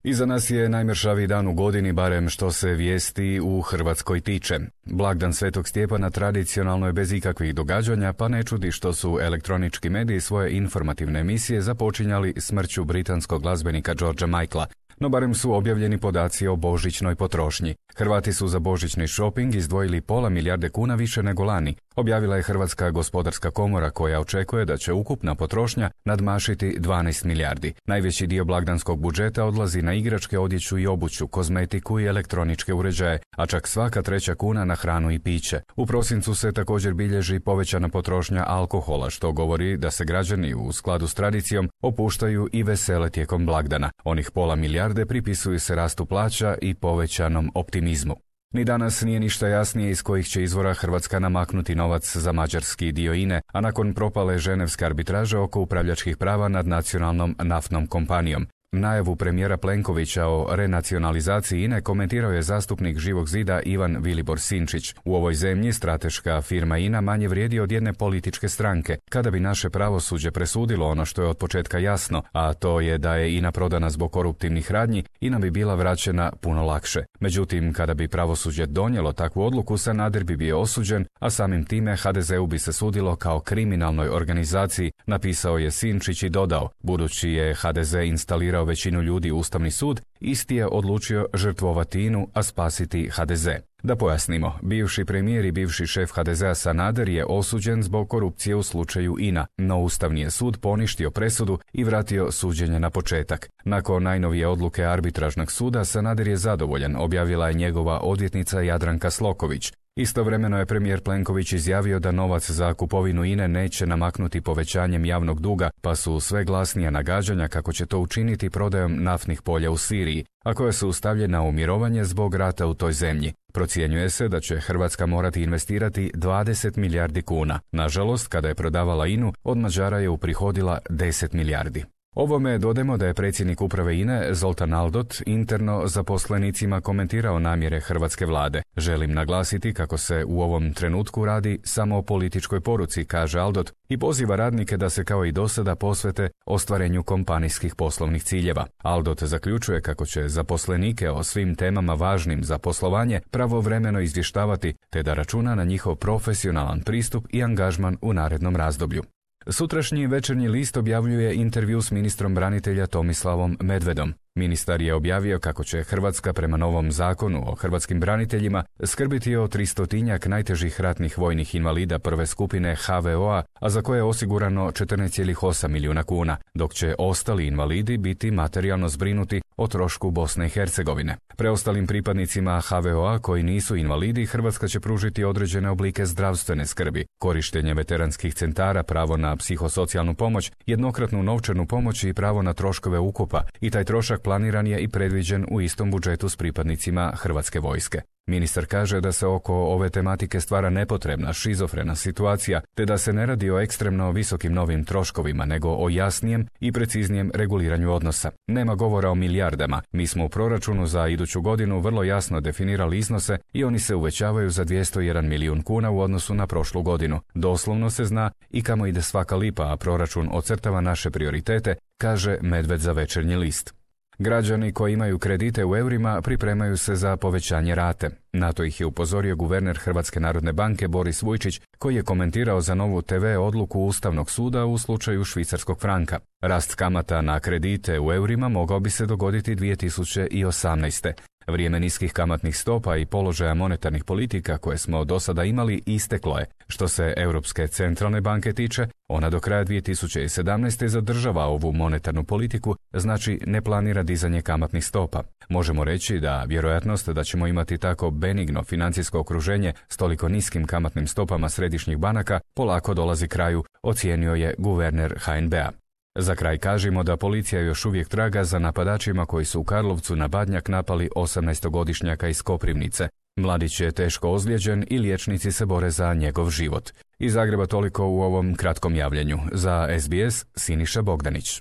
Iza nas je najmršaviji dan u godini, barem što se vijesti u Hrvatskoj tiče. Blagdan Svetog Stjepana tradicionalno je bez ikakvih događanja, pa ne čudi što su elektronički mediji svoje informativne emisije započinjali smrću britanskog glazbenika Georgea Michaela. No barem su objavljeni podaci o božićnoj potrošnji. Hrvati su za božićni shopping izdvojili pola milijarde kuna više nego lani, objavila je Hrvatska gospodarska komora koja očekuje da će ukupna potrošnja nadmašiti 12 milijardi. Najveći dio blagdanskog budžeta odlazi na igračke, odjeću i obuću, kozmetiku i elektroničke uređaje, a čak svaka treća kuna na hranu i piće. U prosincu se također bilježi povećana potrošnja alkohola, što govori da se građani u skladu s tradicijom opuštaju i vesele tijekom blagdana. Onih pola milijarde pripisuju se rastu plaća i povećanom optimizmu. Ni danas nije ništa jasnije iz kojih će izvora Hrvatska namaknuti novac za mađarski dio INE, a nakon propale ženevske arbitraže oko upravljačkih prava nad nacionalnom naftnom kompanijom. Najavu premijera Plenkovića o renacionalizaciji INE komentirao je zastupnik Živog zida Ivan Vilibor Sinčić. U ovoj zemlji strateška firma INA manje vrijedi od jedne političke stranke. Kada bi naše pravosuđe presudilo ono što je od početka jasno, a to je da je INA prodana zbog koruptivnih radnji, INA bi bila vraćena puno lakše. Međutim, kada bi pravosuđe donijelo takvu odluku, Sanader bi bio osuđen, a samim time HDZ-u bi se sudilo kao kriminalnoj organizaciji, napisao je Sinčić i dodao, budući je HDZ instalirao većinu ljudi u Ustavni sud, isti je odlučio žrtvovati INU, a spasiti HDZ. Da pojasnimo, bivši premijer i bivši šef HDZ-a Sanader je osuđen zbog korupcije u slučaju INA, no Ustavni je sud poništio presudu i vratio suđenje na početak. Nakon najnovije odluke arbitražnog suda, Sanader je zadovoljan, objavila je njegova odvjetnica Jadranka Sloković. Istovremeno je premijer Plenković izjavio da novac za kupovinu INE neće namaknuti povećanjem javnog duga, pa su sve glasnija nagađanja kako će to učiniti prodajom naftnih polja u Siriji, a koja su stavljena u mirovanje zbog rata u toj zemlji. Procjenjuje se da će Hrvatska morati investirati 20 milijardi kuna. Nažalost, kada je prodavala INU, od Mađara je uprihodila 10 milijardi. Ovome dodajmo da je predsjednik uprave INE Zoltan Aldott interno zaposlenicima komentirao namjere hrvatske vlade. Želim naglasiti kako se u ovom trenutku radi samo o političkoj poruci, kaže Aldott, i poziva radnike da se kao i dosada posvete ostvarenju kompanijskih poslovnih ciljeva. Aldott zaključuje kako će zaposlenike o svim temama važnim za poslovanje pravovremeno izvještavati, te da računa na njihov profesionalan pristup i angažman u narednom razdoblju. Sutrašnji Večernji list objavljuje intervju s ministrom branitelja Tomislavom Medvedom. Ministar je objavio kako će Hrvatska prema novom zakonu o hrvatskim braniteljima skrbiti o 300-tinjak najtežih ratnih vojnih invalida prve skupine HVO-a, a za koje je osigurano 14,8 milijuna kuna, dok će ostali invalidi biti materijalno zbrinuti o trošku Bosne i Hercegovine. Preostalim pripadnicima HVO-a koji nisu invalidi, Hrvatska će pružiti određene oblike zdravstvene skrbi, korištenje veteranskih centara, pravo na psihosocijalnu pomoć, jednokratnu novčanu pomoć i pravo na troškove ukopa, i taj trošak planiran je i predviđen u istom budžetu s pripadnicima Hrvatske vojske. Ministar kaže da se oko ove tematike stvara nepotrebna šizofrena situacija, te da se ne radi o ekstremno visokim novim troškovima, nego o jasnijem i preciznijem reguliranju odnosa. Nema govora o milijardama. Mi smo u proračunu za iduću godinu vrlo jasno definirali iznose i oni se uvećavaju za 201 milijun kuna u odnosu na prošlu godinu. Doslovno se zna i kamo ide svaka lipa, a proračun ocrtava naše prioritete, kaže Medved za Večernji list. Građani koji imaju kredite u eurima pripremaju se za povećanje rate. Na to ih je upozorio guverner Hrvatske narodne banke Boris Vujčić, koji je komentirao za Novu TV odluku Ustavnog suda u slučaju švicarskog franka. Rast kamata na kredite u eurima mogao bi se dogoditi 2018. Vrijeme niskih kamatnih stopa i položaja monetarnih politika koje smo do sada imali isteklo je. Što se Europske centralne banke tiče, ona do kraja 2017. zadržava ovu monetarnu politiku, znači ne planira dizanje kamatnih stopa. Možemo reći da vjerojatnost da ćemo imati tako benigno financijsko okruženje s toliko niskim kamatnim stopama središnjih banaka polako dolazi kraju, ocijenio je guverner HNB-a. Za kraj kažemo da policija još uvijek traga za napadačima koji su u Karlovcu na Badnjak napali 18-godišnjaka iz Koprivnice. Mladić je teško ozlijeđen i liječnici se bore za njegov život. Iz Zagreba toliko u ovom kratkom javljanju. Za SBS Siniša Bogdanić.